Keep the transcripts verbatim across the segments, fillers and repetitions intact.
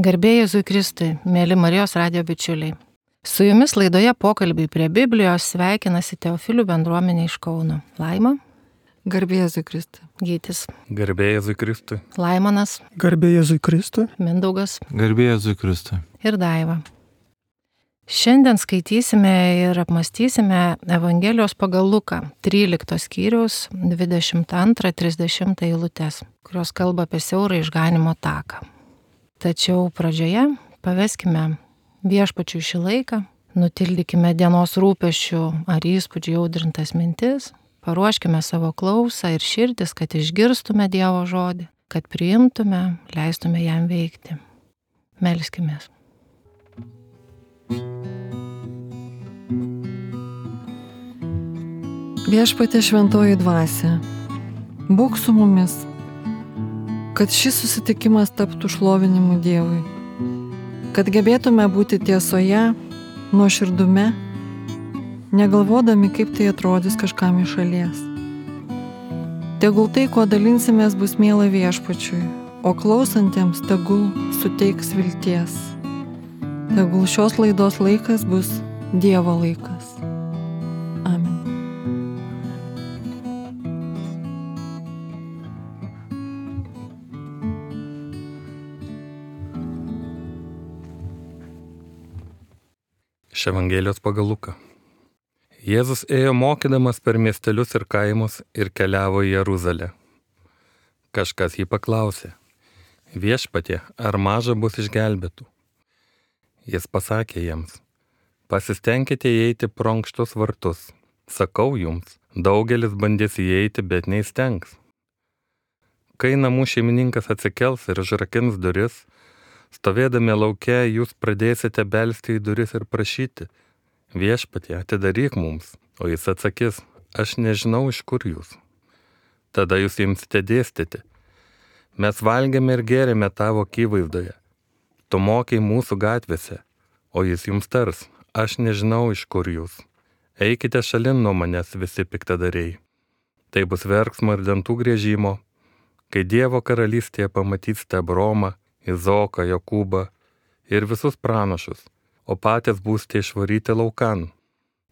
Garbė Jėzui Kristui, mėly Marijos radijo bičiuliai. Su jumis laidoje pokalbiai prie Biblijos sveikinasi Teofilių bendruomenė iš Kauno. Laima. Garbė Jėzui Kristui. Gytis. Garbė Jėzui Kristui. Laimonas. Garbė Jėzui Kristui. Mindaugas. Garbė Jėzui Kristui. Ir Daiva. Šiandien skaitysime ir apmąstysime Evangelijos pagal Luką, tryliktos skyriaus dvidešimt antrą trisdešimtą eilutes, kurios kalba apie siaurą išganimo taką. Tačiau pradžioje paveskime viešpačiui šį laiką, nutildykime dienos rūpesčių ar įspūdžių audrintas mintis, paruoškime savo klausą ir širdis, kad išgirstume Dievo žodį, kad priimtume, leistume jam veikti. Melskimės. Viešpatie šventoji dvasia, būk su mumis, kad šis susitikimas taptų šlovinimu Dievui, kad gebėtume būti tiesoje, nuoširdume, negalvodami, kaip tai atrodys kažkam iš šalies. Tegul tai, kuo dalinsimės, bus miela viešpačiui, o klausantiems tegul suteiks vilties. Tegul šios laidos laikas bus Dievo laikas. Amen. Iš Evangelijos pagal Luką. Jėzus ėjo mokydamas per miestelius ir kaimus ir keliavo į Jeruzalę. Kažkas jį paklausė: Viešpatie, ar maža bus išgelbėtų? Jis pasakė jiems: Pasistengkite įeiti pro ankštus vartus. Sakau jums, daugelis bandys įeiti, bet neįstengs. Kai namų šeimininkas atsikels ir užrakins duris, stovėdami lauke, jūs pradėsite belsti į duris ir prašyti: Viešpatie, atidaryk mums. O jis atsakys: Aš nežinau, iš kur jūs. Tada jūs imsite dėstyti: Mes valgėme ir gėrėme tavo akivaizdoje. Tu mokei mūsų gatvėse. O jis jums tars: Aš nežinau, iš kur jūs. Eikite šalin nuo manęs, visi piktadariai. Tai bus verksmo ir dantų griežimo, kai Dievo karalystėje pamatysite Abraomą, Izaoką, Jokūbą ir visus pranašus, o patys būsite išvaryti laukan.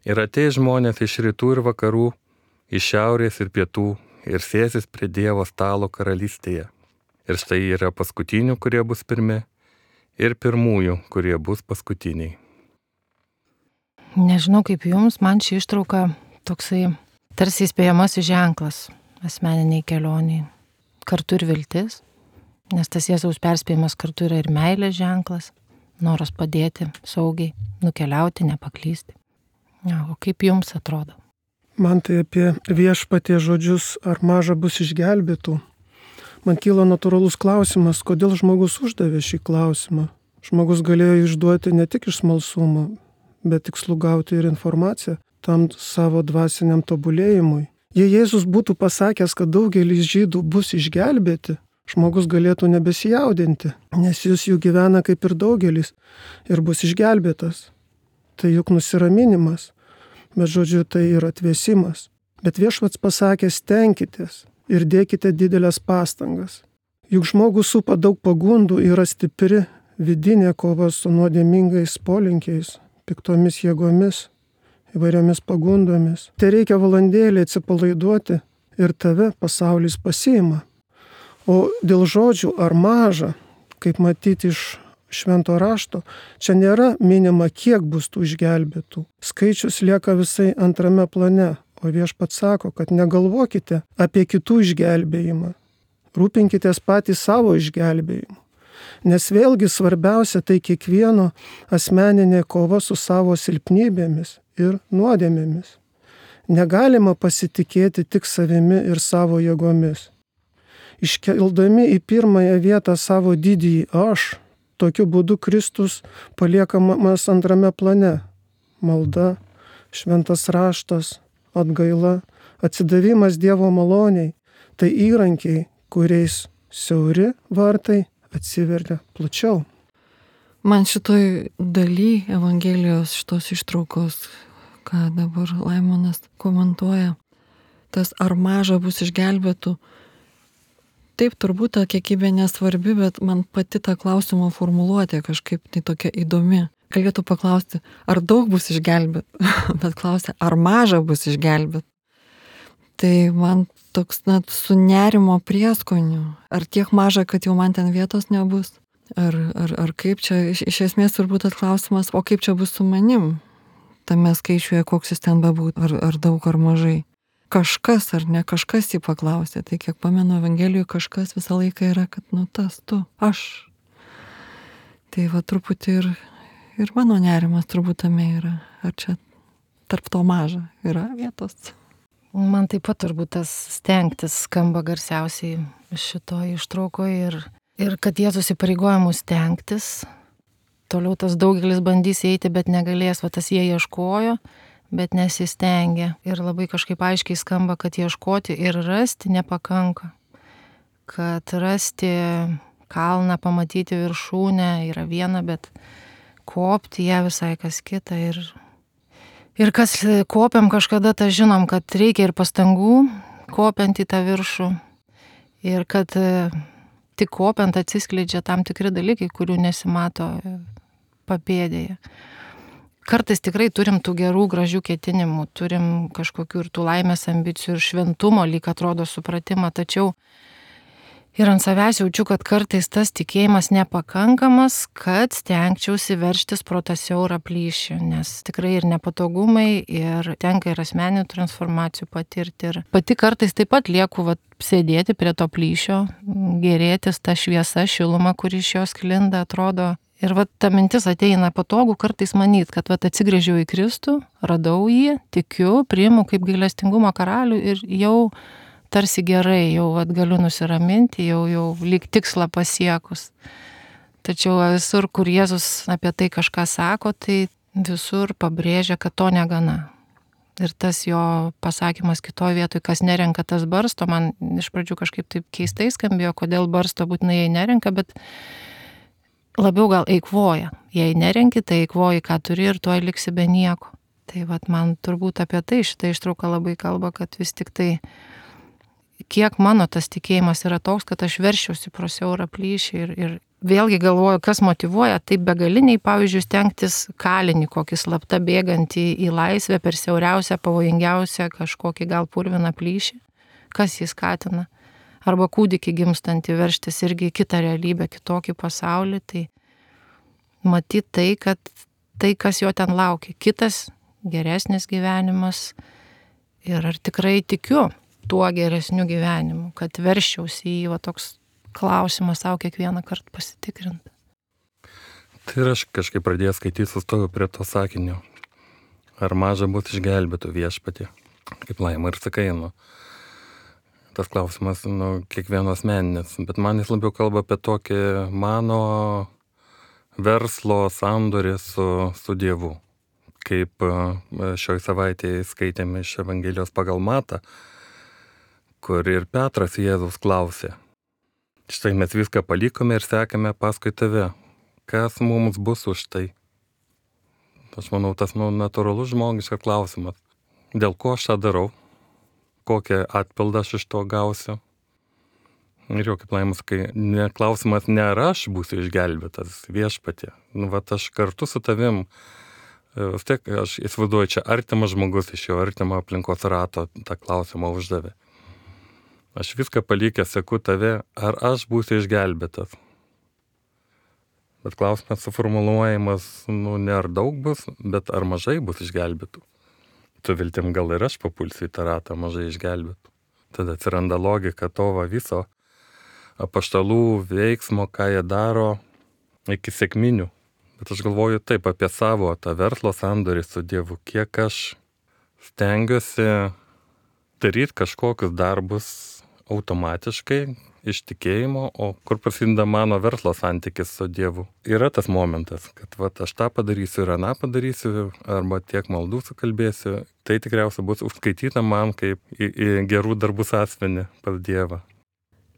Ir ateis žmonės iš rytų ir vakarų, iš šiaurės ir pietų, ir sėsis prie Dievo stalo karalystėje. Ir štai yra paskutinių, kurie bus pirmi, ir pirmųjų, kurie bus paskutiniai. Nežinau kaip jums, man ši ištrauka toksai tarsi įspėjamasis ženklas asmeniniai kelioniai. Kartu ir viltis. Nes tas Jėzaus perspėjimas kartu yra ir meilės ženklas, noras padėti saugiai, nukeliauti, nepaklysti. Ja, o kaip jums atrodo? Man tai apie viešpatie žodžius, ar maža bus išgelbėtų. Man kyla natūralus klausimas, kodėl žmogus uždavė šį klausimą. Žmogus galėjo išduoti ne tik iš smalsumo, bet tikslų gauti ir informaciją tam savo dvasiniam tobulėjimui. Jei Jėzus būtų pasakęs, kad daugelis žydų bus išgelbėti, žmogus galėtų nebesijaudinti, nes jis jų gyvena kaip ir daugelis ir bus išgelbėtas. Tai juk nusiraminimas, bet žodžiu tai yra atvėsimas. Bet viešpats pasakė: stenkitės ir dėkite didelės pastangas. Juk žmogus supa daug pagundų, yra stipri vidinė kova su nuodėmingais polinkiais, piktomis jėgomis, įvairiomis pagundomis. Tai reikia valandėlį atsipalaiduoti ir tave pasaulis pasiima. O dėl žodžių ar maža, kaip matyti iš švento rašto, čia nėra minima, kiek bus tų išgelbėtų. Skaičius lieka visai antrame plane, o viešpats sako, kad negalvokite apie kitų išgelbėjimą. Rūpinkitės patys savo išgelbėjimu. Nes vėlgi svarbiausia tai kiekvieno asmeninė kova su savo silpnybėmis ir nuodėmėmis. Negalima pasitikėti tik savimi ir savo jėgomis. Iškeldami į pirmąją vietą savo didįjį aš, tokiu būdu Kristus paliekamas antrame plane. Malda, šventas raštas, atgaila, atsidavimas Dievo maloniai – tai įrankiai, kuriais siauri vartai atsiveria plačiau. Man šitoj daly Evangelijos šitos ištraukos, ką dabar Laimonas komentuoja, tas ar maža bus išgelbėtų, taip, turbūt ta kiekybė nesvarbi, bet man pati ta klausimo formuluotė kažkaip tai tokia įdomi. Galėtų paklausti, ar daug bus išgelbėt, bet klausia, ar maža bus išgelbėt. Tai man toks net su nerimo prieskoniu, ar tiek maža, kad jau man ten vietos nebus, ar, ar, ar kaip čia, iš, iš esmės turbūt atklausimas, o kaip čia bus su manim, tame skaičiuje, koks jis ten bebūtų, ar, ar daug, ar mažai. Kažkas ar ne kažkas jį paklausė, tai kiek pamenu Evangelijoje kažkas visą laiką yra, kad nu tas, tu, aš. Tai va truputį ir, ir mano nerimas turbūt tame yra, ar čia tarp to maža yra vietos. Man taip pat turbūt tas stengtis skamba garsiausiai šito ištraukoje ir, ir kad Jėzus įpareigoja mus stengtis. Toliau tas daugelis bandys eiti, bet negalės, va tas jie ieškojo, bet nesistengė. Ir labai kažkaip aiškiai skamba, kad ieškoti ir rasti nepakanka. Kad rasti kalną, pamatyti viršūnę yra viena, bet kopti ją visai kas kita. Ir, ir kas kopiam kažkada, tą žinom, kad reikia ir pastangų kopiant į tą viršų. Ir kad tik kopiant atsiskleidžia tam tikri dalykai, kurių nesimato papėdėje. Kartais tikrai turim tų gerų, gražių ketinimų, turim kažkokių ir tų laimės ambicijų ir šventumo, lyg atrodo supratimą, tačiau ir ant savęs jaučiu, kad kartais tas tikėjimas nepakankamas, kad stengčiausi verštis pro tą siaurą plyšį, nes tikrai ir nepatogumai, ir tenka ir asmeninių transformacijų patirti. Ir pati kartais taip pat lieku vat, sėdėti prie to plyšio, gėrėtis tą šviesą, šilumą, kuri iš jos sklinda, atrodo. Ir vat ta mintis ateina patogu kartais manyt, kad vat atsigrėžiau į Kristų, radau jį, tikiu, priimu kaip gailestingumo karalių ir jau tarsi gerai, jau vat galiu nusiraminti, jau, jau lyg tikslą pasiekus. Tačiau visur, kur Jėzus apie tai kažką sako, tai visur pabrėžia, kad to negana. Ir tas jo pasakymas kitoje vietoje, kas nerenka, tas barsto, man iš pradžių kažkaip taip keistai skambėjo, kodėl barsto būtinai jai nerenka, bet labiau gal eikvoja. Jei nerenki, tai eikvoji, ką turi ir tuoj liksi be nieko. Tai vat man turbūt apie tai šitą ištrauką labai kalba, kad vis tik tai kiek mano tas tikėjimas yra toks, kad aš veršiausi pro siaurą plyšį ir, ir vėlgi galvoju, kas motyvuoja taip begaliniai, pavyzdžiui, stengtis kalinį kokį slapta bėgantį į laisvę per siauriausią, pavojingiausią kažkokį gal purviną plyšį. Kas jį skatina? Arba kūdikį gimstantį verštis irgi į kitą realybę, kitokį pasaulį, tai matyti tai, kad tai, kas jo ten laukia, kitas geresnis gyvenimas ir ar tikrai tikiu tuo geresniu gyvenimu, kad verščiausi į jį, va toks klausimas savo kiekvieną kartą pasitikrinti. Tai ir aš kažkaip pradėjau skaityti, sustoju prie to sakinio, ar maža bus išgelbėtų viešpatie, kaip Laima ir sakai, nu. Tas klausimas, nu, kiekvieno asmeninis, bet man jis labiau kalba apie tokį mano verslo sandorį su, su Dievu. Kaip šioj savaitėje skaitėme iš Evangelijos pagal Matą, kur ir Petras Jėzus klausė. Štai mes viską palikome ir sekame paskui tave. Kas mums bus už tai? Aš manau, tas nu, natūralus žmogiškas klausimas. Dėl ko aš tą darau? Kokią atpildą aš iš to gausiu. Ir jau kaip Laima sakai, ne, klausimas ne ar aš būsiu išgelbėtas viešpatie. Nu, vat aš kartu su tavim, vis tiek aš įsivaizduoju, čia artimas žmogus iš jo artimo aplinkos rato tą klausimą uždavė. Aš viską palikęs seku tave, ar aš būsiu išgelbėtas. Bet klausimas suformuluojamas, nu, ne ar daug bus, bet ar mažai bus išgelbėtų. Tu viltim gal ir aš papulsiu į tą ratą mažai išgelbėtų. Tada atsiranda logika to va viso apaštalų veiksmo, ką jie daro iki sekminių. Bet aš galvoju taip apie savo tą verslo sandorį su Dievu, kiek aš stengiuosi daryti kažkokius darbus automatiškai, iš tikėjimo, o kur prasideda mano verslo santykis su Dievu. Yra tas momentas, kad vat, aš tą padarysiu ir aną padarysiu, arba tiek maldų sukalbėsiu, tai tikriausiai bus užskaityta man kaip į, į gerų darbų sąsvenį pas Dievą.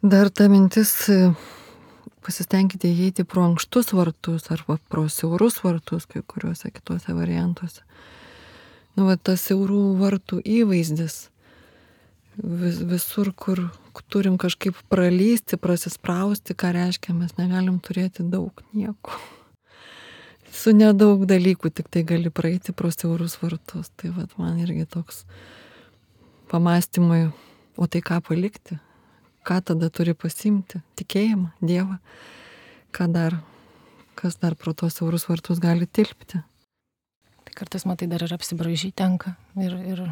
Dar ta mintis, pasistengkite įeiti pro ankštus vartus arba pro siaurus vartus, kai kuriuose kituose variantuose. Nu, va, tas siaurų vartų įvaizdis vis, visur, kur, turim kažkaip pralysti, prasisprausti, ką reiškia, mes negalim turėti daug nieko. Su nedaug dalykų tik tai gali praeiti pro siaurus vartus. Tai vat man irgi toks pamastymui, o tai ką palikti? Ką tada turi pasimti? Tikėjimą, Dievą. Ką dar, kas dar pro tos siaurus vartus gali tilpti? Tai kartais, matai, dar ir apsibraižyti tenka ir, ir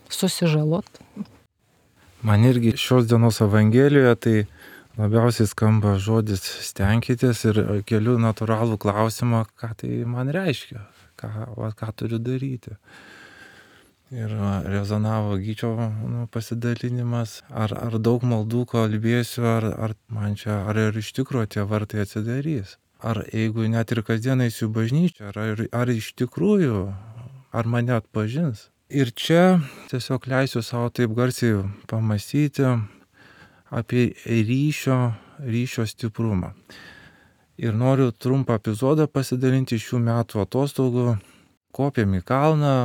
susižalot. Man irgi šios dienos Evangelijoje tai labiausiai skamba žodis stenkitės ir keliu natūralų klausimą, ką tai man reiškia, ką, va, ką turiu daryti. Ir rezonavo Gyčio nu, pasidalinimas, ar, ar daug maldų kalbėsiu, ar, ar man čia, ar ir iš tikrųjų tie vartai atsidarys. Ar jeigu net ir kasdien eisiu į bažnyčią, ar, ar iš tikrųjų, ar mane atpažins. Ir čia tiesiog leisiu savo taip garsiai pamąstyti apie ryšio, ryšio stiprumą. Ir noriu trumpą epizodą pasidalinti šių metų atostogų. Kopėm į kalną,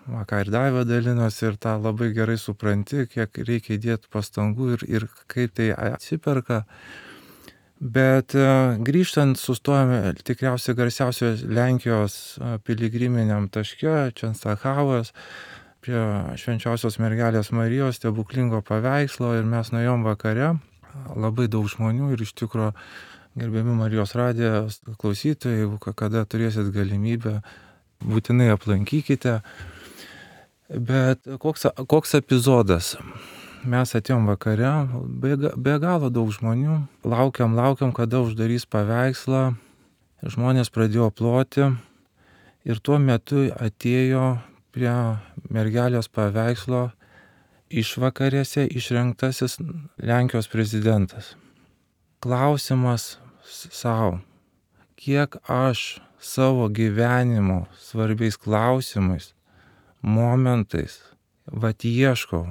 ką ir Daiva dalinosi, ir tą labai gerai supranti, kiek reikia įdėti pastangų ir, ir kaip tai atsiperka. Bet grįžtant sustojame tikriausiai garsiausios Lenkijos piligriminiam taške, Čenstakavos, prie Švenčiausios mergelės Marijos stebuklingo paveikslo, ir mes nuėjom vakare, labai daug žmonių, ir iš tikrųjų gerbiami Marijos radijos klausytojai, jeigu kada turėsit galimybę, būtinai aplankykite. Bet koks, koks epizodas? Mes atėjom vakare, be, be galo daug žmonių, laukiam, laukiam, kada uždarys paveikslą, žmonės pradėjo ploti, ir tuo metu atėjo prie mergelės paveikslo išvakarėse išrinktasis Lenkijos prezidentas. Klausimas savo, kiek aš savo gyvenimo svarbiais klausimais, momentais, vat ieškau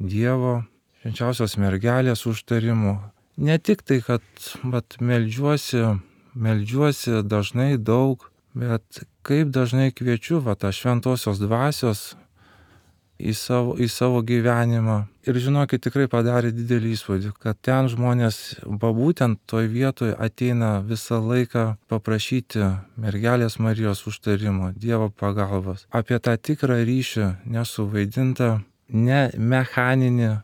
Dievo, švenčiausios mergelės užtarimų. Ne tik tai, kad vat, meldžiuosi, meldžiuosi dažnai daug, bet kaip dažnai kviečiu vat, tą šventosios dvasios į savo, į savo gyvenimą. Ir žinokit, tikrai padarė didelį įspūdį, kad ten žmonės, būtent toj vietoje ateina visą laiką paprašyti mergelės Marijos užtarimo, Dievo pagalbos. Apie tą tikrą ryšį, nesuvaidintą, ne mechaninį,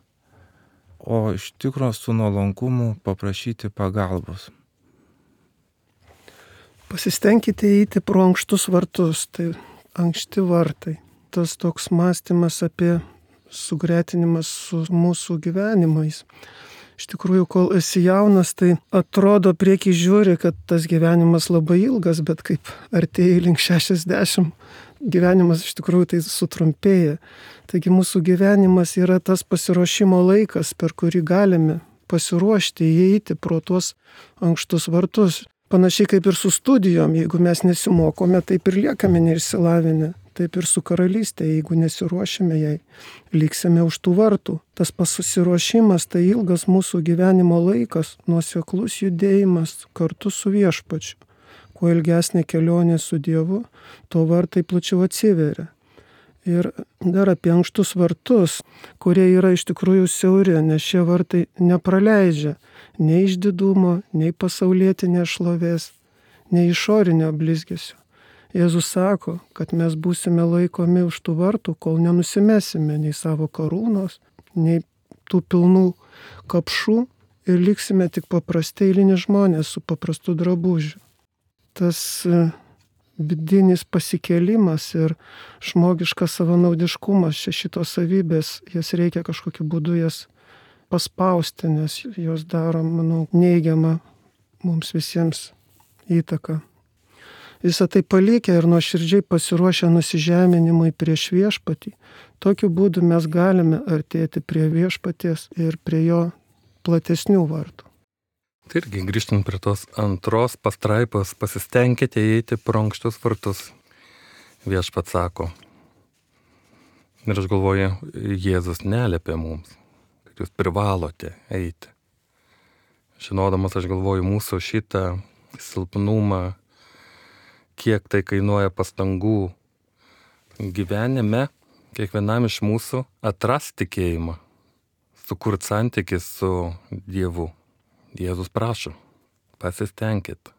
o iš tikro su nuolankumu paprašyti pagalbos. Pasistengkite eiti pro ankštus vartus, tai ankšti vartai. Tas toks mąstymas apie sugretinimas su mūsų gyvenimais. Iš tikrųjų, kol esi jaunas, tai atrodo prieki žiūri, kad tas gyvenimas labai ilgas, bet kaip artėji link šešiasdešimt, gyvenimas iš tikrųjų tai sutrumpėja. Taigi mūsų gyvenimas yra tas pasiruošimo laikas, per kurį galime pasiruošti įeiti pro tuos ankštus vartus. Panašiai kaip ir su studijom, jeigu mes nesimokome, taip ir liekame neišsilavinę. Taip ir su karalystė, jeigu nesiruošime jai, liksime už tų vartų. Tas pasiruošimas tai ilgas mūsų gyvenimo laikas, nuoseklus judėjimas kartu su viešpačiu. Kuo ilgesnė kelionė su Dievu, tuo vartai plačiau atsiveria. Ir dar apie ankštus vartus, kurie yra iš tikrųjų siauri, nes šie vartai nepraleidžia nei išdidumo, nei pasaulietinės šlovės, nei išorinio blizgesio. Jėzus sako, kad mes būsime laikomi už tų vartų, kol nenusimesime nei savo karūnos, nei tų pilnų kapšų ir liksime tik paprasti eilini žmonės su paprastu drabužiu. Tas vidinis pasikėlimas ir žmogiškas savanaudiškumas, čia šitos savybės, jas reikia kažkokiu būdu jas paspausti, nes jos daro, manau, neigiamą mums visiems įtaką. Visą tai palikę ir nuoširdžiai pasiruošę nusižeminimui prieš viešpatį, tokiu būdu mes galime artėti prie viešpaties ir prie jo platesnių vartų. Tai irgi grįžtant prie tos antros pastraipos, pasistengkite įeiti pro ankštus vartus. Viešpats sako. Ir aš galvoju, Jėzus neliepia mums, kad jūs privalote eiti. Žinodamas, aš galvoju, mūsų šitą silpnumą, kiek tai kainuoja pastangų gyvenime, kiekvienam iš mūsų atras tikėjimą sukurti santykį su Dievu. Jėzus prašo, pasistengkit.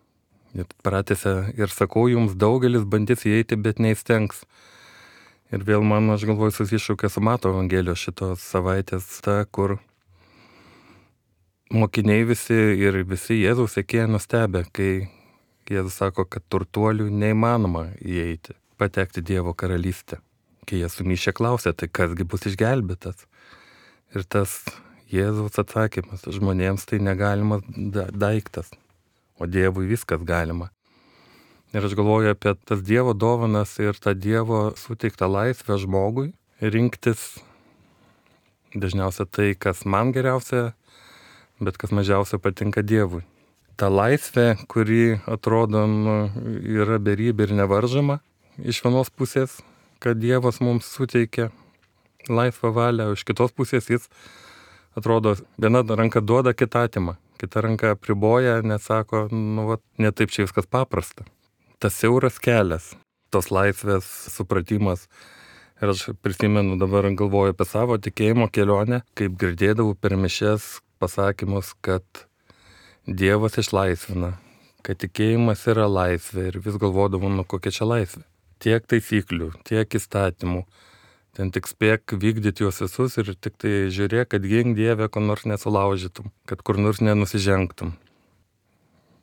Ir pratęsia ir sakau, jums daugelis bandys įeiti, bet neįstengs. Ir vėl man, aš galvoju, susišaukia su Mato Evangelijos šitos savaitės, ta, kur mokiniai visi ir visi Jėzaus sekėjai nustebę, kai Jėzus sako, kad turtuolių neįmanoma įeiti, patekti Dievo karalystę. Kai jie sumišę klausė, tai kasgi bus išgelbėtas. Ir tas Jėzaus atsakymas, žmonėms tai negalimas da- daiktas, o Dievui viskas galima. Ir aš galvoju apie tas Dievo dovanas ir tą Dievo suteiktą laisvę žmogui rinktis dažniausia tai, kas man geriausia, bet kas mažiausia patinka Dievui. Ta laisvė, kuri atrodo nu, yra beribė ir nevaržoma iš vienos pusės, kad Dievas mums suteikia laisvą valią, o iš kitos pusės jis atrodo viena ranka duoda, kita atima. Kita ranka apriboja, nes sako, nu, va, ne taip čia viskas paprasta. Tas siauras kelias, tos laisvės supratimas. Ir aš prisimenu, dabar galvoju apie savo tikėjimo kelionę, kaip girdėdavau per mišias pasakymus, kad Dievas išlaisvina, kad tikėjimas yra laisvė ir vis galvodavau, nu kokia čia laisvė. Tiek taisyklių, tiek įstatymų. Ten tik spėk vykdyti juos visus ir tik tai žiūrėk, kad gink Dieve, ko nors nesulaužytum, kad kur nors nenusižengtum.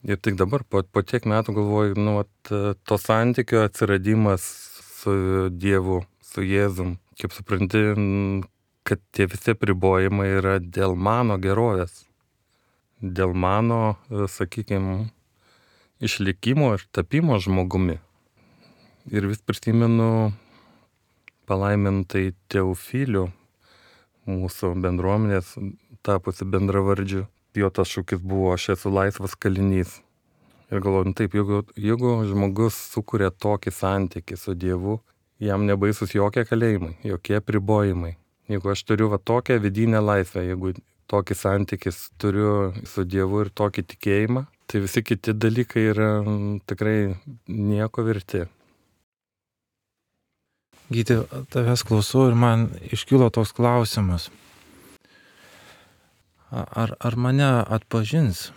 Ir tik dabar, po, po tiek metų galvoju, nu, at, to santykio atsiradimas su Dievu, su Jėzum, kaip supranti, kad tie visi apribojimai yra dėl mano gerovės, dėl mano, sakykime, išlikimo ir tapimo žmogumi. Ir vis prisimenu palaimintai Teofilių, mūsų bendruomenės tapusi bendravardžiu. Jo tas šūkis buvo, aš esu laisvas kalinys. Ir galvoju, taip, jeigu, jeigu žmogus sukuria tokį santykį su Dievu, jam nebaisus jokie kalėjimai, jokie apribojimai. Jeigu aš turiu va tokią vidinę laisvę, jeigu tokį santykį turiu su Dievu ir tokį tikėjimą, tai visi kiti dalykai yra tikrai nieko verti. Gyti, tavęs klausau ir man iškilo toks klausimas. Ar, ar mane atpažins?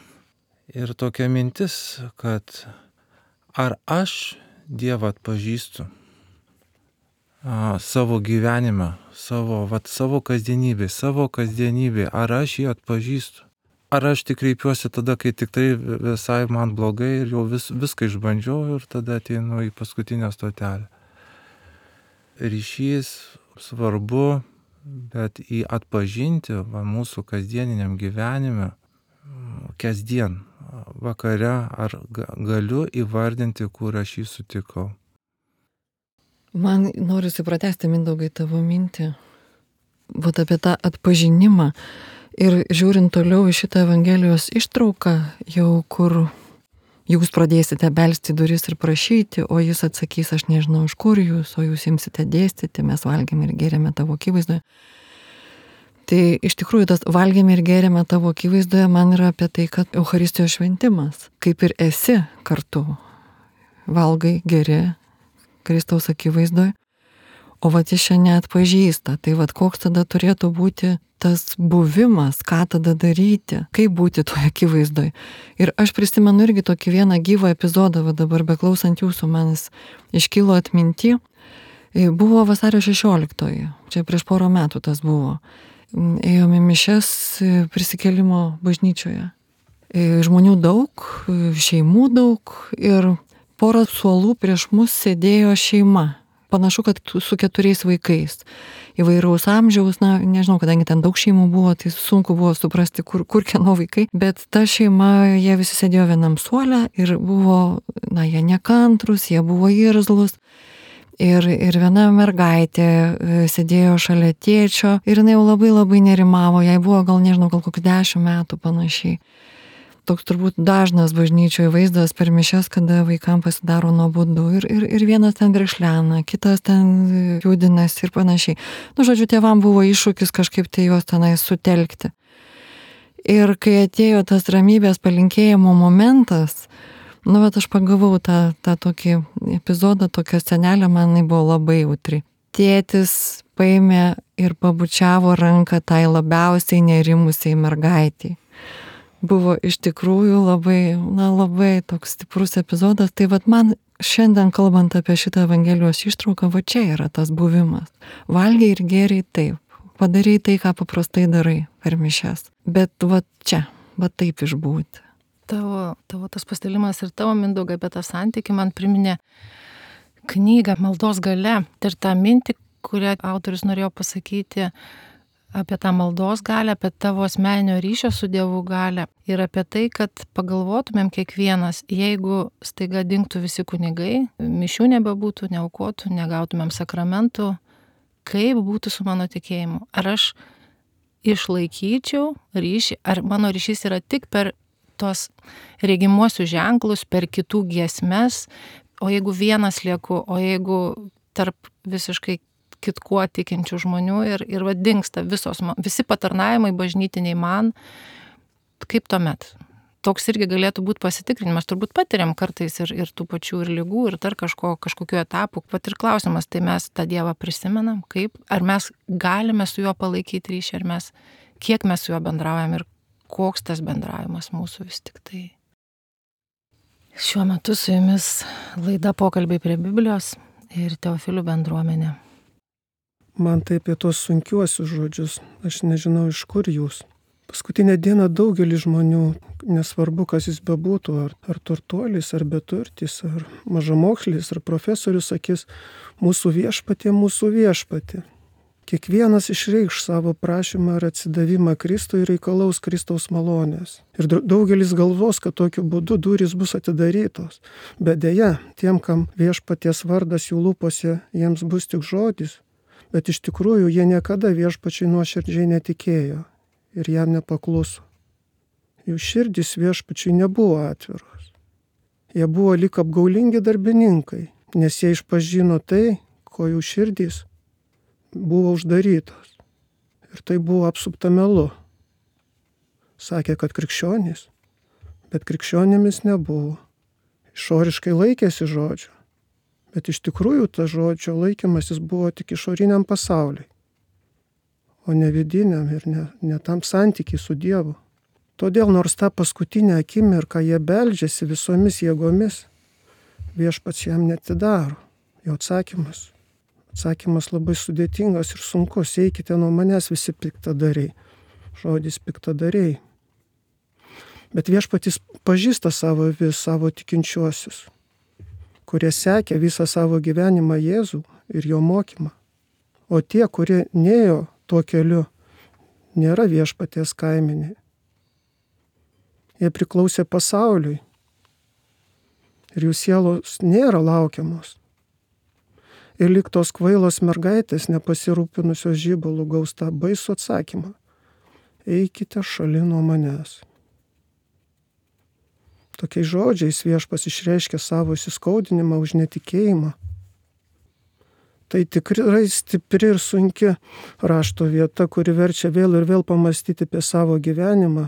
Ir tokia mintis, kad ar aš Dievą atpažįstu a, savo gyvenime, savo, vat, savo kasdienybėje, savo kasdienybėje, ar aš jį atpažįstu? Ar aš tik kreipiuosi tada, kai tik tai visai man blogai ir jau vis, viską išbandžiau ir tada ateinu į paskutinę stotelę. Ryšys svarbu, bet į atpažinti va, mūsų kasdieniniam gyvenime, kasdien, vakare, ar galiu įvardinti, kur aš jį sutikau. Man norisi pratęsti, Mindaugai, tavo mintį, vat apie tą atpažinimą. Ir žiūrint toliau į šitą Evangelijos ištrauką, jau kur jūs pradėsite belsti duris ir prašyti, o jis atsakys, aš nežinau iš kur jūs, o jūs imsite dėstyti, mes valgėme ir gėrėme tavo akivaizdoje. Tai iš tikrųjų tas valgėme ir gėrėme tavo akivaizdoje man yra apie tai, kad Eucharistijos šventimas, kaip ir esi kartu, valgai, geri Kristaus akivaizdoje, o vat jis šiandien neatpažįsta. Tai vat koks tada turėtų būti tas buvimas, ką tada daryti, kaip būti toje akivaizdoje. Ir aš prisimenu irgi tokį vieną gyvą epizodą, va dabar beklausant jūsų, manis iškilo atminti. Buvo vasario šešioliktoji, čia prieš porą metų tas buvo. Ėjome mišias prisikėlimo bažnyčioje. Žmonių daug, šeimų daug ir porą suolų prieš mus sėdėjo šeima. Panašu, kad su keturiais vaikais. Įvairaus amžiaus, na, nežinau, kadangi ten daug šeimų buvo, tai sunku buvo suprasti, kur, kur kieno vaikai. Bet ta šeima, jie visi sėdėjo vienam suole ir buvo, na, jie nekantrus, jie buvo irzlus. Ir, ir viena mergaitė sėdėjo šalia tėčio ir jinai jau labai labai nerimavo, jai buvo gal, nežinau, gal kokių dešimt metų panašiai. Toks turbūt dažnas bažnyčioje vaizdas per mišias, kada vaikams pasidaro nuobodu ir, ir, ir vienas ten grešlena, kitas ten judinasi ir panašiai. Nu, žodžiu, tėvam buvo iššūkis kažkaip tai juos tenai sutelkti. Ir kai atėjo tas ramybės palinkėjimo momentas, nu, bet aš pagavau tą, tą tokį epizodą, tokią scenelę, man jinai buvo labai jautri. Tėtis paėmė ir pabučiavo ranką tai labiausiai nerimusiai mergaitiai. Buvo iš tikrųjų labai, na, labai toks stiprus epizodas. Tai vat man šiandien kalbant apie šitą Evangelijos ištrauką, va čia yra tas buvimas. Valgiai ir gėriai taip, padarai tai, ką paprastai darai per mišias. Bet va čia, va taip išbūti. Tavo, tavo tas pasidalimas ir tavo Mindaugai apie tą santykį man priminė knygą Maldos galia. Ir tą mintį, kurią autorius norėjo pasakyti apie tą maldos galią, apie tavo asmeninio ryšio su Dievu galią ir apie tai, kad pagalvotumėm kiekvienas, jeigu staiga dingtų visi kunigai, mišių nebebūtų, neaukotų, negautumėm sakramentų, kaip būtų su mano tikėjimu. Ar aš išlaikyčiau ryšį, ar mano ryšys yra tik per tos regimuosius ženklus, per kitų giesmes, o jeigu vienas lieku, o jeigu tarp visiškai kitkuo tikinčių žmonių ir, ir va dingsta visos, visi patarnavimai bažnytiniai man, kaip tuomet? Toks irgi galėtų būti pasitikrinimas, turbūt patiriam kartais ir, ir tų pačių ir lygų, ir dar kažko, kažkokiu etapu. Pat ir klausimas, tai mes tą Dievą prisimenam, kaip, ar mes galime su juo palaikyti ryšį, ar mes, kiek mes su juo bendraujam ir koks tas bendravimas mūsų vis tik tai. Šiuo metu su jumis laida Pokalbiai prie Biblijos ir Teofilių bendruomenė. Man tai apie tos sunkiuosius žodžius, aš nežinau iš kur jūs. Paskutinę dieną daugelis žmonių, nesvarbu kas jis bebūtų, ar, ar turtuolis, ar beturtis, ar mažamokslis, ar profesorius, sakys, mūsų viešpatie, mūsų viešpatie. Kiekvienas išreikš savo prašymą ar atsidavimą Kristui ir reikalaus Kristaus malonės. Ir daugelis galvos, kad tokiu būdu durys bus atidarytos. Bet deja, tiem, kam viešpaties vardas jų lūpose, jiems bus tik žodis. Bet iš tikrųjų jie niekada viešpačiai nuoširdžiai netikėjo ir jam nepakluso. Jų širdys viešpačiai nebuvo atviros. Jie buvo lyg apgaulingi darbininkai, nes jie išpažino tai, ko jų širdys buvo uždarytos. Ir tai buvo apsupta melu. Sakė, kad krikščionys, bet krikščionėmis nebuvo. Išoriškai laikėsi žodžio, bet iš tikrųjų ta žodžio laikymasis buvo tik išoriniam pasauliui, o ne vidiniam ir ne, ne tam santykiai su Dievu. Todėl nors tą paskutinę akimirką jie beldžiasi visomis jėgomis, viešpats jam netidaro. Jo atsakymas. Atsakymas labai sudėtingas ir sunkus. Eikite nuo manęs visi piktadariai. Žodis piktadariai. Bet viešpatis pažįsta savo vis, savo tikinčiuosius, kurie sekė visą savo gyvenimą Jėzų ir jo mokymą. O tie, kurie nėjo tuo keliu, nėra viešpaties kaiminiai. Jie priklausė pasauliui ir jų sielos nėra laukiamos. Ir lyg tos kvailos mergaitės nepasirūpinusios žybalų gaus tą baisų atsakymą. Eikite šalin nuo manęs. Tokiais žodžiais viešpas išreiškia savo įsiskaudinimą už netikėjimą. Tai tikrai stipri ir sunki rašto vieta, kuri verčia vėl ir vėl pamastyti apie savo gyvenimą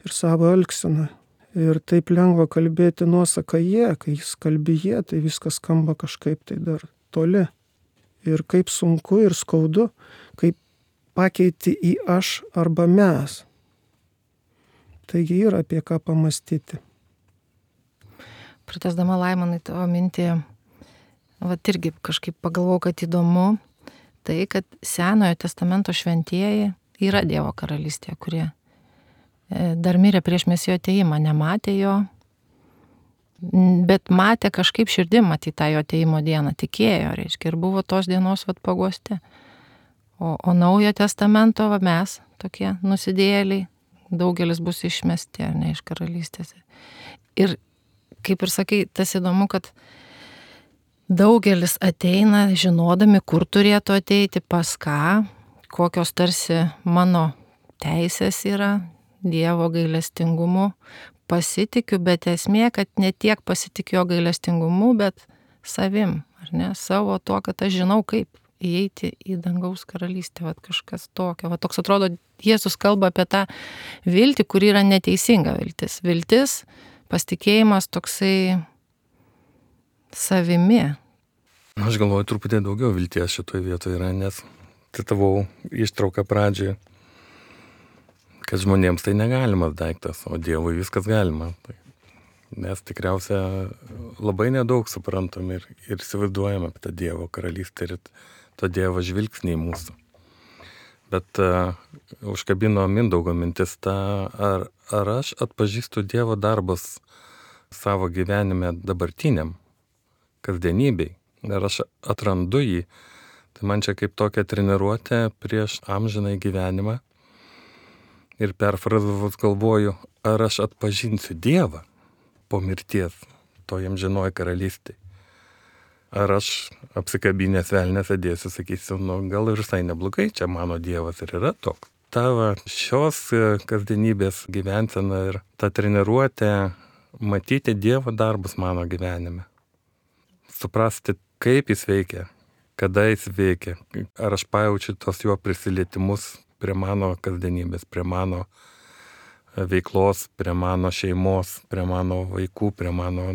ir savo elgseną. Ir taip lengva kalbėti nuosaką jie, kai jis kalbi jie, tai viskas skamba kažkaip tai dar toli. Ir kaip sunku ir skaudu, kaip pakeiti į aš arba mes. Taigi yra apie ką pamastyti. Pratęsdama Laimonai tavo mintį, vat irgi kažkaip pagalvojau, kad įdomu tai, kad Senojo testamento šventieji yra Dievo karalystėje, kurie dar mirė prieš Mesijo atėjimą, nematė jo, bet matė kažkaip širdim matyti tą jo atėjimo dieną, tikėjo, reiškia, ir buvo tos dienos vat paguosti. O, o Naujo testamento va, mes, tokie nusidėjėliai, daugelis bus išmesti, ar ne, iš karalystės. Ir kaip ir sakai, tas įdomu, kad daugelis ateina žinodami, kur turėtų ateiti, pas ką, kokios tarsi mano teisės yra, Dievo gailestingumu, pasitikiu, bet esmė, kad ne tiek pasitikiu jo gailestingumu, bet savim, ar ne, savo to, kad aš žinau, kaip įeiti į dangaus karalystę, vat kažkas tokio. Vat toks atrodo, Jėzus kalba apie tą viltį, kuri yra neteisinga viltis. Viltis, pasitikėjimas toksai savimi. Aš galvoju, truputį daugiau vilties šitoje vietoje yra, nes citavau ištrauką pradžioje, kad žmonėms tai negalimas daiktas, o Dievui viskas galima. Tai mes tikriausia labai nedaug suprantam ir, ir įsivaizduojam apie tą Dievo karalystę ir to Dievo žvilgsnį į mūsų. Bet uh, užkabino Mindaugo mintis tą, ar, ar aš atpažįstu Dievo darbus savo gyvenime dabartiniam, kasdienybei, ar aš atrandu jį. Tai man čia kaip tokia treniruotė prieš amžinai gyvenimą. Ir perfrazavus galvoju, ar aš atpažinsiu Dievą po mirties, to amžinoji karalystė. Ar aš apsikabinęs velnės sėdėsiu, sakysiu, nu gal ir visai neblogai, čia mano Dievas ir yra toks. Tavo šios kasdienybės gyvensena ir ta treniruotė matyti Dievo darbus mano gyvenime. Suprasti, kaip jis veikia, kada jis veikia, ar aš pajaučiu tos jo prisilietimus prie mano kasdienybės, prie mano veiklos, prie mano šeimos, prie mano vaikų, prie mano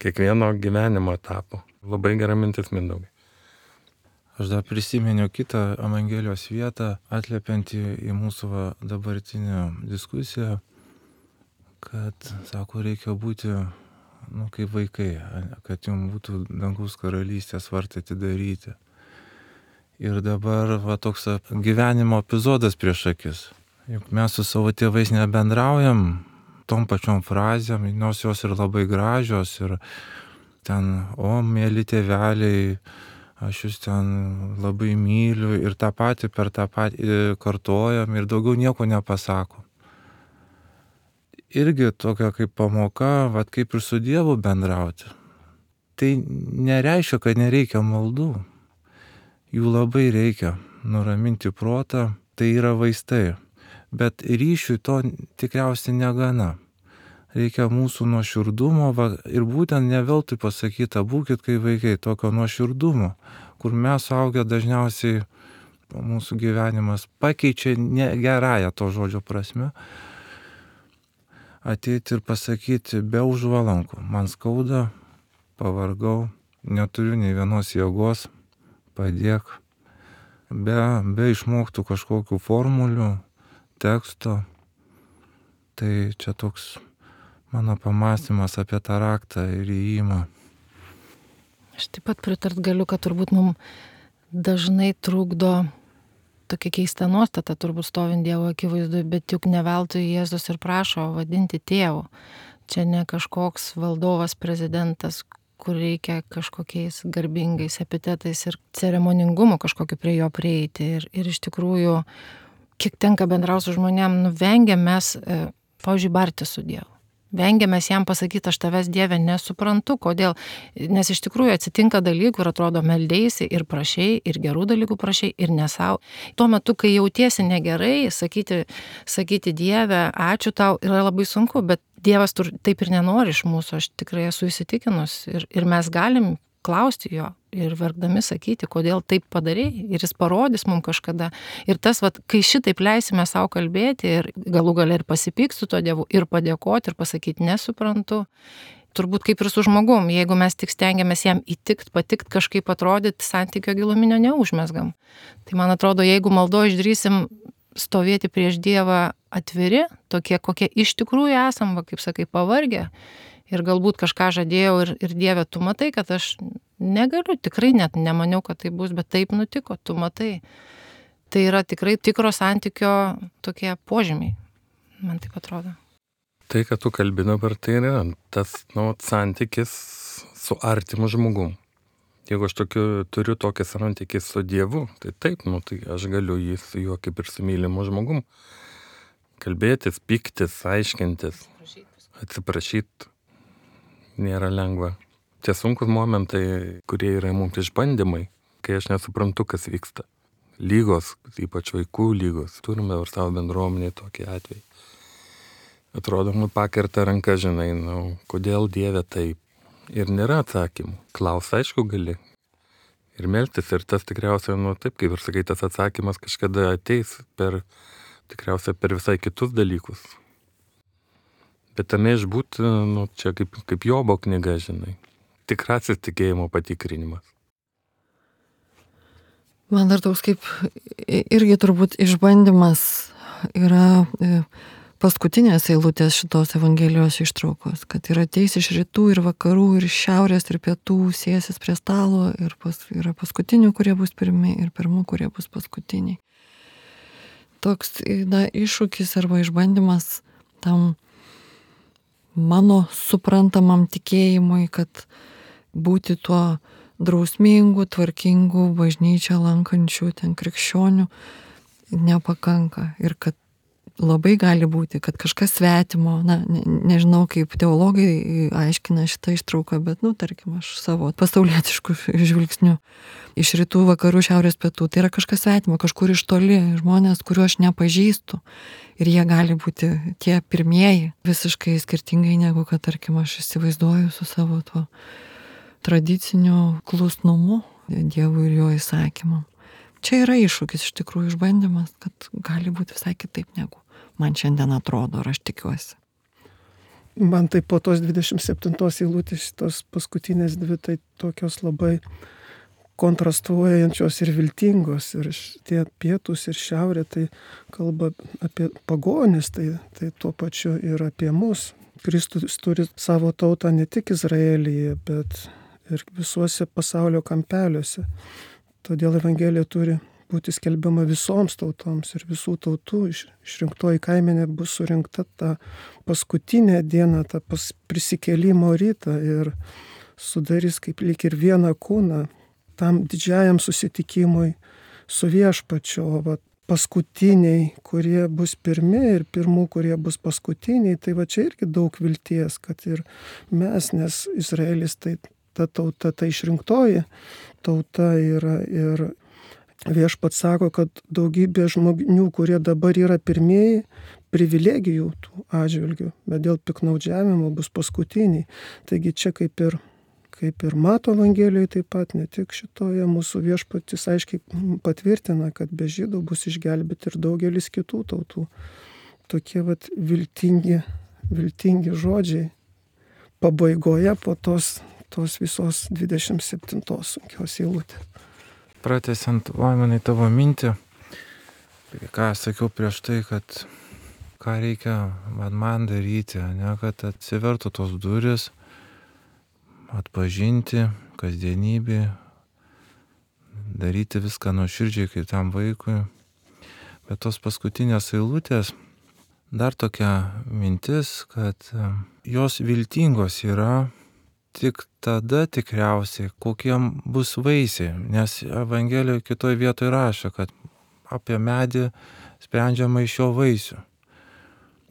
kiekvieno gyvenimo etapo. Labai gera mintis, Mindaugai. Aš dar prisiminiau kitą Evangelijos vietą, atliepiantį į mūsų va, dabartinę diskusiją, kad, sako, reikia būti, nu, kaip vaikai, kad jums būtų dangaus karalystės vartai atidaryti. Ir dabar va, toks gyvenimo epizodas prieš akis. Juk mes su savo tėvais nebendraujam tom pačiom frazėm, nors jos ir labai gražios ir ten, o, mėly tėveliai, aš jūs ten labai myliu ir tą patį per tą patį kartojam ir daugiau nieko nepasakom. Irgi tokia kaip pamoka, vat kaip ir su Dievu bendrauti. Tai nereiškia, kad nereikia maldų. Jų labai reikia nuraminti protą, tai yra vaistai. Bet ryšiui to tikriausiai negana. Reikia mūsų nuoširdumo va, ir būtent ne veltui pasakyta, būkit kaip vaikai, tokio nuoširdumo, kur mes suaugę dažniausiai mūsų gyvenimas pakeičia ne gerąją to žodžio prasme. Ateiti ir pasakyti be užvalankų, man skauda, pavargau, neturiu nei vienos jėgos, padėk, be, be išmoktų kažkokių formulių, teksto. Tai čia toks mano pamąstymas apie tą raktą ir įėjimą. Aš taip pat pritart galiu, kad turbūt mums dažnai trukdo tokia keista nuostata, turbūt stovint Dievo akivaizdu, bet juk ne veltui Jėzus ir prašo vadinti tėvu. Čia ne kažkoks valdovas, prezidentas, kur reikia kažkokiais garbingais epitetais ir ceremoningumu kažkokiu prie jo prieiti. Ir, ir iš tikrųjų, kiek tenka bendrauti su žmonėm, nu, vengiam mes, e, pavyzdžiui, barti su Dievu. Vengiamės jam pasakyti, aš tavęs Dieve nesuprantu, kodėl. Nes iš tikrųjų atsitinka dalykų ir atrodo meldėsi ir prašai, ir gerų dalykų prašai, ir nesau. Tuo metu, kai jautiesi negerai, sakyti, sakyti Dieve, ačiū tau, yra labai sunku, bet Dievas tur, taip ir nenori iš mūsų, aš tikrai esu įsitikinus. Ir, ir mes galim klausti jo ir verkdami sakyti, kodėl taip padarei, ir jis parodys mums kažkada. Ir tas, vat, kai šitaip leisime savo kalbėti ir galų gale ir pasipykti su to Dievu, ir padėkoti, ir pasakyti nesuprantu, turbūt kaip ir su žmogum, jeigu mes tik stengiamės jam įtikt, patikt, kažkaip atrodyti, santykio giluminio neužmesgam. Tai man atrodo, jeigu maldo išdrysim stovėti prieš Dievą atviri, tokie, kokie iš tikrųjų esam, va, kaip sakai, pavargę, ir galbūt kažką žadėjau ir, ir Dieve, tu matai, kad aš negaliu, tikrai net nemaniau, kad tai bus, bet taip nutiko, tu matai. Tai yra tikrai tikro santykio tokie požymiai, man taip atrodo. Tai, kad tu kalbi dabar, tai yra tas, nu, santykis su artimu žmogum. Jeigu aš tokiu, turiu tokį santykį su Dievu, tai taip, nu, tai aš galiu jį su juo kaip ir su mylimu žmogum kalbėtis, pyktis, aiškintis, atsiprašyti. Nėra lengva. Tie sunkus momentai, kurie yra mums išbandymai, kai aš nesuprantu, kas vyksta. Lygos, ypač vaikų lygos. Turime ir savo bendruomenėje tokį atvejį. Atrodo, nu pakerta ranka, žinai, nu, kodėl Dieve taip. Ir nėra atsakymų. Klaus, aišku, gali. Ir melstis, ir tas tikriausiai, nu taip, kaip ir sakai, tas atsakymas kažkada ateis per, tikriausiai per visai kitus dalykus. Bet tame išbūt, nu, čia kaip, kaip Jobo knyga, žinai. Tikrasis tikėjimo patikrinimas. Man dar toks kaip irgi turbūt išbandymas yra paskutinės eilutės šitos Evangelijos ištraukos, kad yra ateis iš rytų ir vakarų ir iš šiaurės ir pietų, sėsis prie stalo ir pas, yra paskutinių, kurie bus pirmi ir pirmų, kurie bus paskutiniai. Toks na, iššūkis arba išbandymas tam mano suprantamam tikėjimui, kad būti tuo drausmingu, tvarkingu, bažnyčią lankančių ten krikščionių nepakanka ir kad labai gali būti, kad kažkas svetimo, na, ne, nežinau kaip teologai aiškina šitą ištrauką, bet, nu, tarkim, aš savo pasaulietiškų žvilgsnių iš rytų, vakarų, šiaurės, pietų, tai yra kažkas svetimo, kažkur iš toli, žmonės, kuriuo aš nepažįstu ir jie gali būti tie pirmieji, visiškai skirtingai negu, kad, tarkim, aš įsivaizduoju su savo tuo tradiciniu klusnumu Dievui ir jo įsakymam. Čia yra iššūkis, iš tikrųjų išbandymas, kad gali būti visai kitaip negu man šiandien atrodo, ar aš tikiuosi. Man tai po tos dvidešimt septintos eilutės, tos paskutinės dvi, tai tokios labai kontrastuojančios ir viltingos. Ir tie pietus ir šiaurė, tai kalba apie pagonis, tai, tai tuo pačiu ir apie mus. Kristus turi savo tautą ne tik Izraelyje, bet ir visuose pasaulio kampeliuose. Todėl Evangelija turi būti skelbiama visoms tautoms ir visų tautų išrinktoji kaimenė bus surinkta tą paskutinę dieną, tą pas prisikėlimo rytą ir sudarys kaip lyg ir vieną kūną tam didžiajam susitikimui su viešpačiu, o va, paskutiniai, kurie bus pirmi ir pirmų, kurie bus paskutiniai, tai va čia irgi daug vilties, kad ir mes, nes Izraelis tai ta tauta, ta išrinktoji tauta yra ir viešpats sako, kad daugybė žmonių, kurie dabar yra pirmieji, privilegijų tų atžvilgių, bet dėl piknaudžiavimo bus paskutiniai. Taigi čia kaip ir, kaip ir Mato Evangelijoje taip pat, ne tik šitoje mūsų viešpatis aiškiai patvirtina, kad be žydų bus išgelbėti ir daugelis kitų tautų. Tokie vat viltingi, viltingi žodžiai pabaigoje po tos, tos visos dvidešimt septintos sunkios eilutės. Pratęsiant Laimonai tavo mintį, ką aš sakiau prieš tai, kad ką reikia man, man daryti, ne, kad atsivertų tos duris, atpažinti kasdienybį, daryti viską nuoširdžiai kaip tam vaikui. Bet tos paskutinės eilutės, dar tokia mintis, kad jos viltingos yra tik tada tikriausiai, kokie bus vaisiai, nes Evangelijoje kitoje vietoje rašo, kad apie medį sprendžiama iš jo vaisių.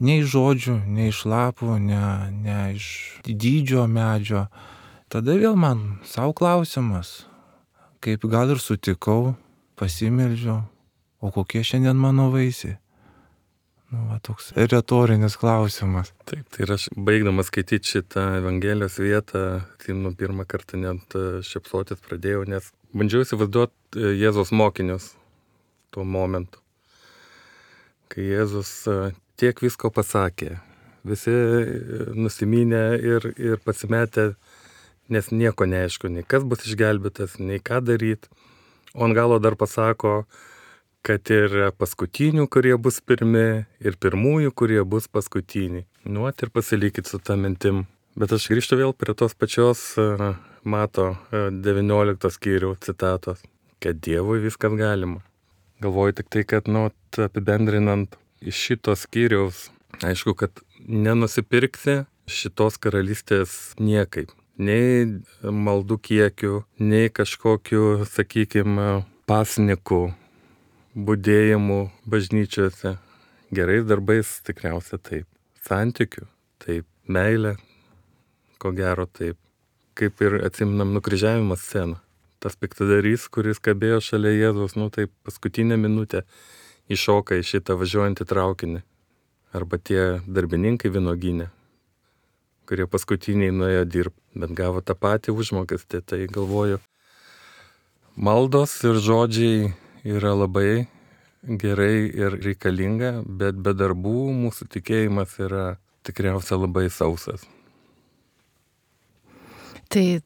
Ne iš žodžių, ne iš lapų, ne, ne iš dydžio medžio. Tada vėl man savo klausimas, kaip gal ir sutikau, pasimeldžiau, o kokie šiandien mano vaisiai? Nu, va, toks retorinis klausimas. Taip, tai aš baigdamas skaityti šitą Evangelijos vietą, tai nu pirmą kartą net šypsotis pradėjau, nes bandžiau įsivaizduoti Jėzaus mokinius tuo momentu. Kai Jėzus tiek visko pasakė, visi nusiminę ir, ir pasimetę, nes nieko neaišku, nei kas bus išgelbėtas, nei ką daryti. O ant galo dar pasako, kad ir paskutinių, kurie bus pirmi, ir pirmųjų, kurie bus paskutiniai. Nu, ir pasilikit su tą mintim. Bet aš grįžtu vėl prie tos pačios Mato devynioliktos skyriaus citatos, kad Dievui viskas galima. Galvoju tik tai, kad, nu, apibendrinant iš šitos skyriaus, aišku, kad nenusipirksi šitos karalystės niekaip. Nei maldų kiekių, nei kažkokiu, sakykime, pasnikų, budėjimų bažnyčiose, gerais darbais tikriausiai taip, santykių, taip, meilė, ko gero taip, kaip ir atsiminam nukryžiavimo sceną. Tas piktadarys, kuris kabėjo šalia Jėzaus, nu taip paskutinę minutę iššoka į šitą važiuojantį traukinį. Arba tie darbininkai vynuogyne, kurie paskutiniai nuėjo dirbti, bet gavo tą patį užmokestį. Tai galvoju, maldos ir žodžiai yra labai gerai ir reikalinga, bet be darbų mūsų tikėjimas yra tikriausiai labai sausas. Tai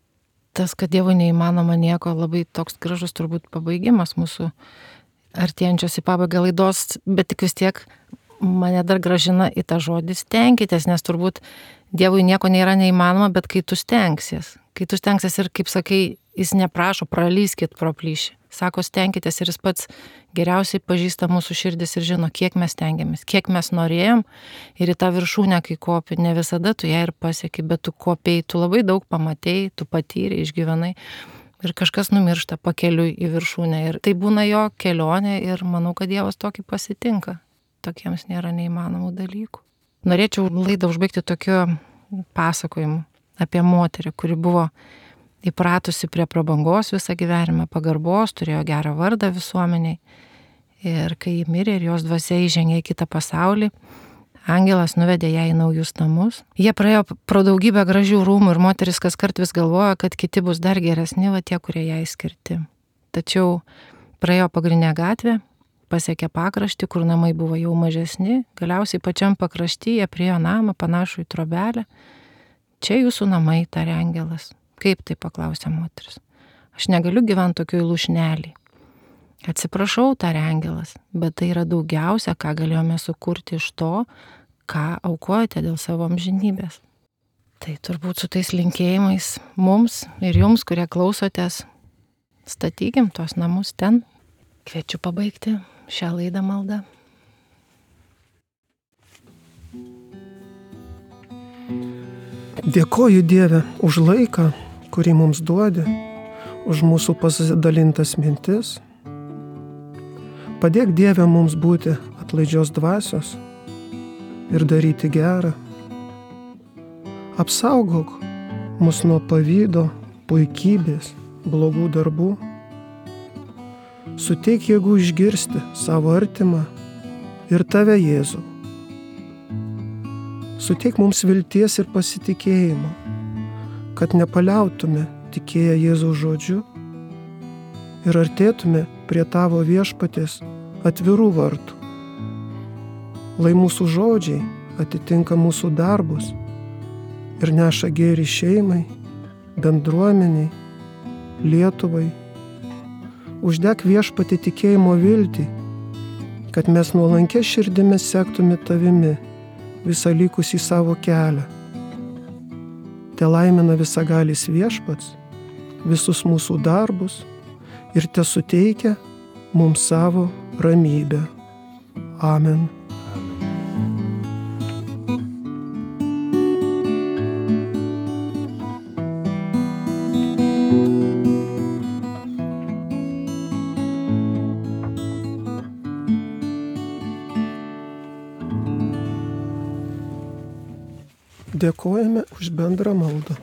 tas, kad Dievui neįmanoma nieko, labai toks gražus turbūt pabaigimas mūsų artėjančios į pabaigą laidos, bet tik vis tiek mane dar gražina į tą žodį stenkitės, nes turbūt Dievui nieko nėra neįmanoma, bet kai tu stengsies, kai tu stengsies ir, kaip sakai, jis neprašo, pralyskit pro plyšį. Sako, stenkitės ir jis pats geriausiai pažįsta mūsų širdis ir žino, kiek mes stengiamės, kiek mes norėjom ir į tą viršūnę, kai kopi, ne visada tu ją ir pasieki, bet tu kopiai, tu labai daug pamatėjai, tu patyrei, išgyvenai ir kažkas numiršta pakeliui į viršūnę ir tai būna jo kelionė ir manau, kad Dievas tokį pasitinka, tokiems nėra neįmanomų dalykų. Norėčiau laidą užbaigti tokiu pasakojimu apie moterį, kuri buvo įpratusi prie prabangos visą gyvenimą, pagarbos, turėjo gerą vardą visuomeniai. Ir kai ji mirė ir jos dvasia įžengė į kitą pasaulį, angelas nuvedė ją į naujus namus. Jie praėjo pro daugybę gražių rūmų ir moteris kaskart vis galvojo, kad kiti bus dar geresni, va tie, kurie jai skirti. Tačiau praėjo pagrindinę gatvę, pasiekė pakraštį, kur namai buvo jau mažesni, galiausiai pačiam pakrašty jie priėjo namą panašų į trobelę. Čia jūsų namai, tarė angelas. Kaip tai, paklausė moteris. Aš negaliu gyventi tokioj lūšnelį. Atsiprašau, tarė angelas, bet tai yra daugiausia, ką galėjome sukurti iš to, ką aukojate dėl savo amžinybės. Tai turbūt su tais linkėjimais mums ir jums, kurie klausotės, statykim tuos namus ten. Kviečiu pabaigti šią laidą maldą. Dėkoju Dieve už laiką, kurį mums duodi, už mūsų pasidalintas mintis. Padėk Dieve mums būti atlaidžios dvasios ir daryti gerą. Apsaugok mus nuo pavydo, puikybės, blogų darbų. Suteik jėgų išgirsti savo artimą ir tave, Jėzų. Suteik mums vilties ir pasitikėjimo, kad nepaliautume tikėję Jėzaus žodžiu ir artėtume prie tavo viešpaties atvirų vartų. Lai mūsų žodžiai atitinka mūsų darbus ir neša gėrį šeimai, bendruomeniai, Lietuvai. Uždek viešpatį tikėjimo viltį, kad mes nuolankia širdimi sektume tavimi visą likusį savo kelią. Te laimina visagalis viešpats visus mūsų darbus ir te suteikia mums savo ramybę. Amen. Dėkojame už bendrą maldą.